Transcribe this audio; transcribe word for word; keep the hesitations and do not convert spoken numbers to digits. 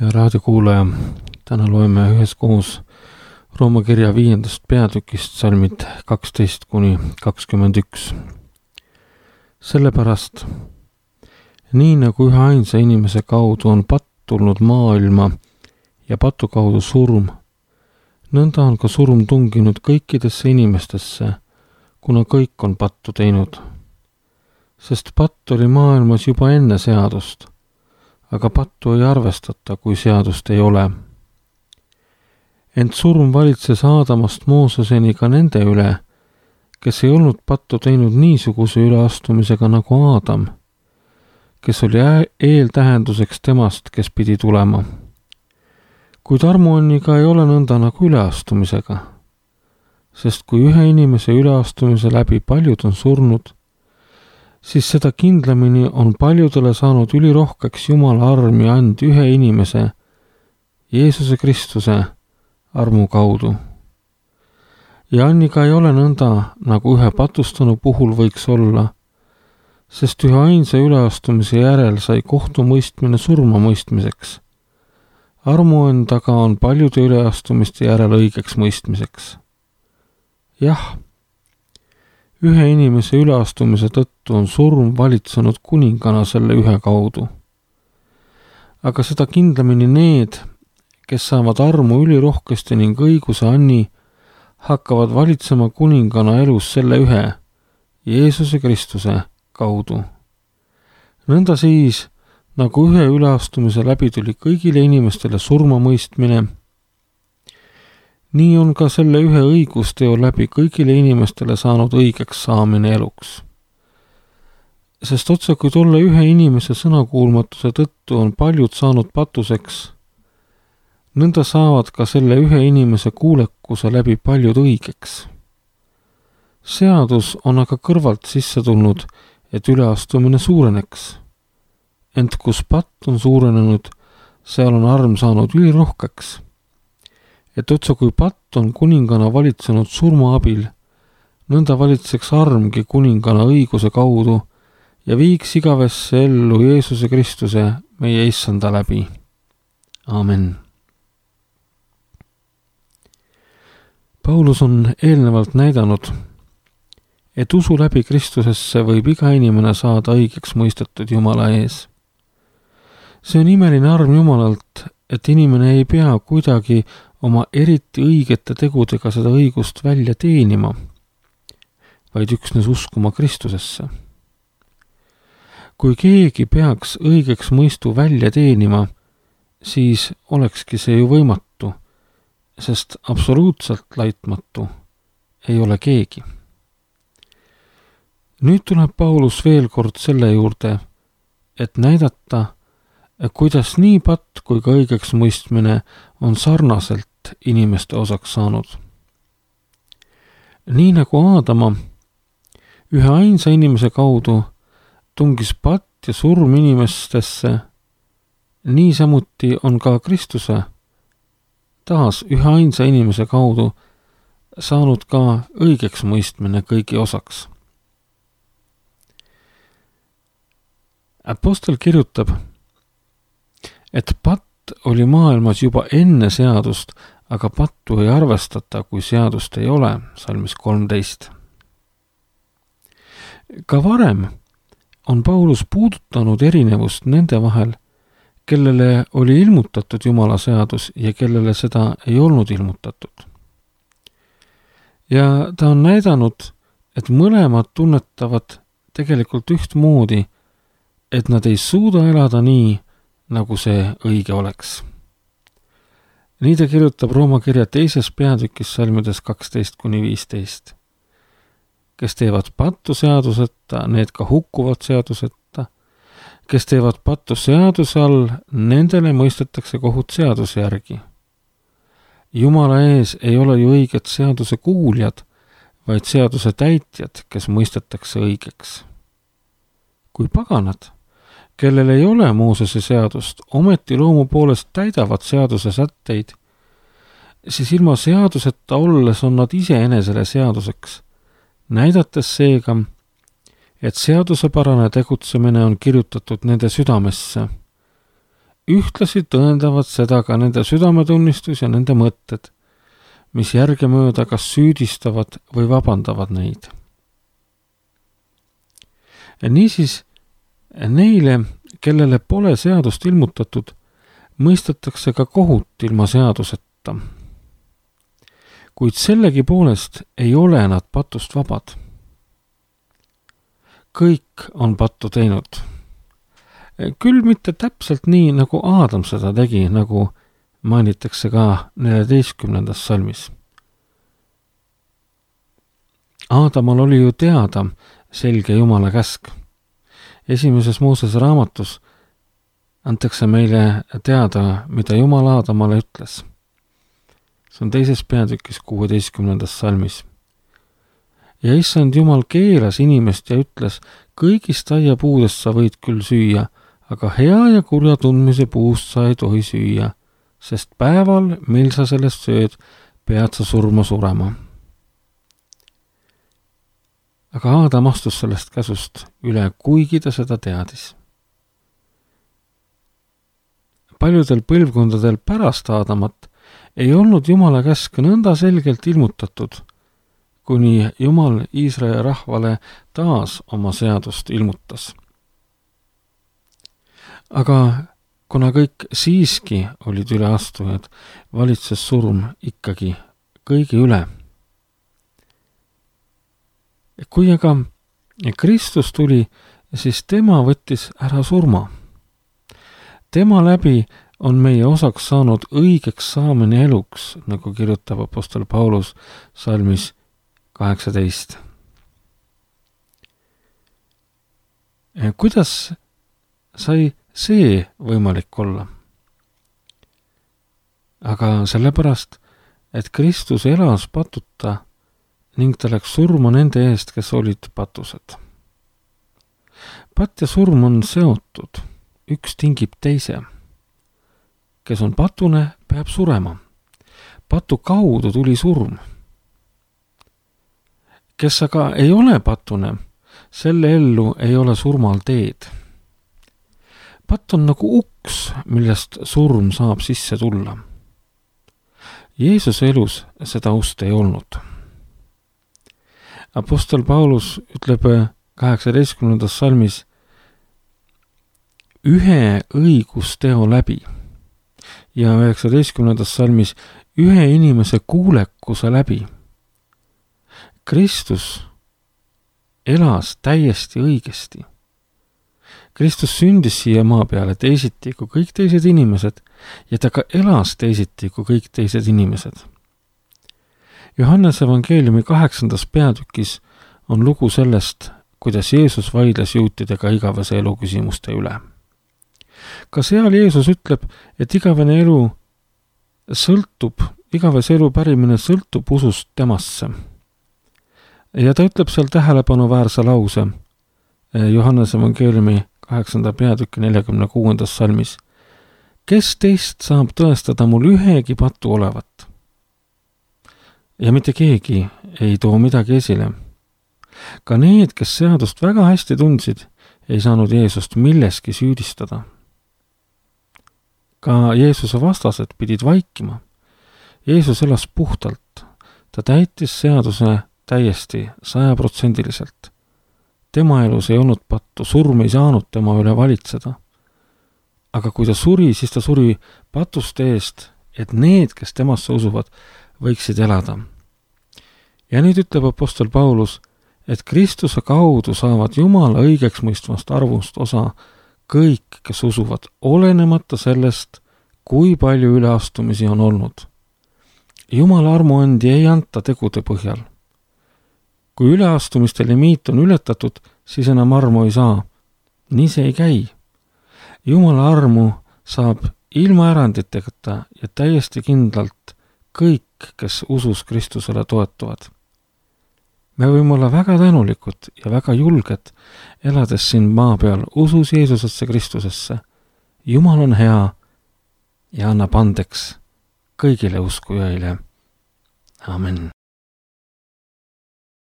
Ja raadiokuulaja, täna loeme üheskoos Rooma kirja viiendast peatükist salmid kaksteist kuni kakskümmend üks. Sellepärast, nii nagu ühe ainsa inimese kaudu on patt tulnud maailma ja patu kaudu surm, nõnda on ka surm tunginud kõikidesse inimestesse, kuna kõik on pattu teinud. Sest patt oli maailmas juba enne seadust, aga pattu ei arvestata, kui seadust ei ole. Ent surm valitses Aadamast Mooseseni ka nende üle, kes ei olnud pattu teinud niisuguse üleastumisega nagu Aadam, kes oli eeltähenduseks temast, kes pidi tulema. Kuid armuanniga ei ole nõnda nagu üleastumisega, sest kui ühe inimese üleastumise läbi paljud on surnud, siis seda kindlamini on paljudele saanud ülirohkeks Jumala arm ja and ühe inimese, Jeesuse Kristuse armu kaudu. Ja anniga ei ole nõnda, nagu ühe patustanu puhul võiks olla, sest ühe ainsa üleastumise järel sai kohtumõistmine surma mõistmiseks. Armuand aga on paljude üleastumiste järel õigeks mõistmiseks. Jah, ühe inimese üleastumise tõttu on surm valitsenud kuningana selle ühe kaudu. Aga seda kindlamini need, kes saavad armu ülirohkesti ning õiguse anni, hakkavad valitsema kuningana elus selle ühe, Jeesuse Kristuse kaudu. Nõnda siis, nagu ühe üleastumise läbi tuli kõigile inimestele surma mõistmine, nii on ka selle ühe õigusteo läbi kõigile inimestele saanud õigeks saamine eluks. Sest otse kui tolle ühe inimese sõnakuulmatuse tõttu on paljud saanud patuseks, nõnda saavad ka selle ühe inimese kuulekuse läbi paljud õigeks. Seadus on aga kõrvalt sisse tulnud, et üleastumine suureneks. Ent kus patt on suurenenud, seal on arm saanud ülirohkeks. Et otsa kui patt on kuningana valitsenud surma abil, nõnda valitseks armgi kuningana õiguse kaudu ja viiks igavesse ellu Jeesuse Kristuse meie issanda läbi. Amen. Paulus on eelnevalt näidanud, et usu läbi Kristusesse võib iga inimene saada õigeks mõistetud Jumala ees. See on imeline arm Jumalalt, et inimene ei pea kuidagi oma eriti õigete tegudega seda õigust välja teenima, vaid üksnes uskuma Kristusesse. Kui keegi peaks õigeks mõistu välja teenima, siis olekski see ju võimatu, sest absoluutselt laitmatu ei ole keegi. Nüüd tuleb Paulus veel kord selle juurde, et näidata, kuidas nii patt kui ka õigeks mõistmine on sarnaselt inimeste osaks saanud. Nii nagu Aadama, ühe ainsa inimese kaudu tungis patt ja surm inimestesse, nii samuti on ka Kristuse taas ühe ainsa inimese kaudu saanud ka õigeks mõistmine kõigi osaks. Apostel kirjutab, et patt oli maailmas juba enne seadust, aga pattu ei arvestata, kui seadust ei ole, salmis kolmteist. Ka varem on Paulus puudutanud erinevust nende vahel, kellele oli ilmutatud Jumala seadus ja kellele seda ei olnud ilmutatud. Ja ta on näidanud, et mõlemad tunnetavad tegelikult ühtmoodi, et nad ei suuda elada nii, nagu see õige oleks. Nii ta kirjutab Rooma kirja teises peatükis salmides kaksteist kuni viisteist. Kes teevad pattu seaduseta, need ka hukkuvad seaduseta. Kes teevad pattu seaduse all, nendele mõistetakse kohut seaduse järgi. Jumala ees ei ole ju õiget seaduse kuuljad, vaid seaduse täitjad, kes mõistetakse õigeks. Kui paganad, kellel ei ole Moosese seadust, ometi loomu poolest täidavad seaduse sätteid, siis ilma seaduseta olles on nad iseenesele seaduseks, näidates seega, et seadusepärane tegutsemine on kirjutatud nende südamesse, ühtlasi tõendavad seda ka nende südametunnistus ja nende mõtted, mis järgemööda kas süüdistavad või vabandavad neid. Niisiis, neile, kellele pole seadust ilmutatud, mõistetakse ka kohut ilma seaduseta. Kuid sellegipoolest ei ole nad patust vabad. Kõik on pattu teinud. Küll mitte täpselt nii, nagu Aadam seda tegi, nagu mainitakse ka neljateistkümnendas salmis. Aadamal oli ju teada selge Jumala käsk. Esimeses Moosese raamatus antakse meile teada, mida Jumal Aadamale ütles. See on teises peatükis kuueteistkümnendas salmis. Ja issand Jumal keelas inimest ja ütles, kõigist aiapuudest sa võid küll süüa, aga hea ja kurja tundmise puust sa ei tohi süüa, sest päeval, mil sa sellest sööd, pead sa surma surema. Aga Aadam astus sellest käsust üle, kuigi ta seda teadis. Paljudel põlvkondadel pärast Aadamat ei olnud Jumala käsk nõnda selgelt ilmutatud, kuni Jumal Iisraeli rahvale taas oma seadust ilmutas. Aga kuna kõik siiski olid üleastujad, valitses surm ikkagi kõigi üle. Kui aga Kristus tuli, siis tema võttis ära surma. Tema läbi on meie osaks saanud õigeks saamine eluks, nagu kirjutab apostel Paulus salmis kaheksateist. Kuidas sai see võimalik olla? Aga sellepärast, et Kristus elas patuta ning ta läks surma nende eest, kes olid patused. Patt ja surm on seotud, üks tingib teise. Kes on patune, peab surema. Patu kaudu tuli surm. Kes aga ei ole patune, selle ellu ei ole surmal teed. Patt on nagu uks, millest surm saab sisse tulla. Jeesuse elus seda ust ei olnud. Apostel Paulus ütleb kaheksateistkümnendas salmis ühe õigusteo läbi ja üheksateistkümnendas salmis ühe inimese kuulekuse läbi. Kristus elas täiesti õigesti. Kristus sündis siia maa peale teisiti kui kõik teised inimesed ja ta ka elas teisiti kui kõik teised inimesed. Johannese evangeeliumi kaheksandas peatükis on lugu sellest, kuidas Jeesus vaidles juutidega igavese elu küsimuste üle. Ka seal Jeesus ütleb, et igavene elu sõltub, igavese elu pärimine sõltub usust temasse. Ja ta ütleb seal tähelepanuväärse lause Johannese evangeeliumi kaheksanda peatüki neljakümne kuuendas salmis. Kes teist saab tõestada mul ühegi patu olevat? Ja mitte keegi ei too midagi esile. Ka need, kes seadust väga hästi tundsid, ei saanud Jeesust milleski süüdistada. Ka Jeesuse vastased pidid vaikima. Jeesus elas puhtalt. Ta täitis seaduse täiesti sajaprotsendiliselt. Tema elus ei olnud pattu, surm ei saanud tema üle valitseda. Aga kui ta suri, siis ta suri patuste eest, et need, kes temasse usuvad, võiksid elada. Ja nüüd ütleb apostel Paulus, et Kristuse kaudu saavad Jumala õigeks mõistvast arvust osa kõik, kes usuvad, olenemata sellest, kui palju üleastumisi on olnud. Jumala armuandi ei anta tegude põhjal. Kui üleastumiste limiit on ületatud, siis enam armu ei saa. Nii see ei käi. Jumala armu saab ilma eranditeta ja täiesti kindlalt kõik, kes usus Kristusele toetuvad. Me võime olla väga tänulikud ja väga julged, elades siin maa peal usus Jeesusesse Kristusesse. Jumal on hea ja annab andeks kõigile uskujaile. Amen.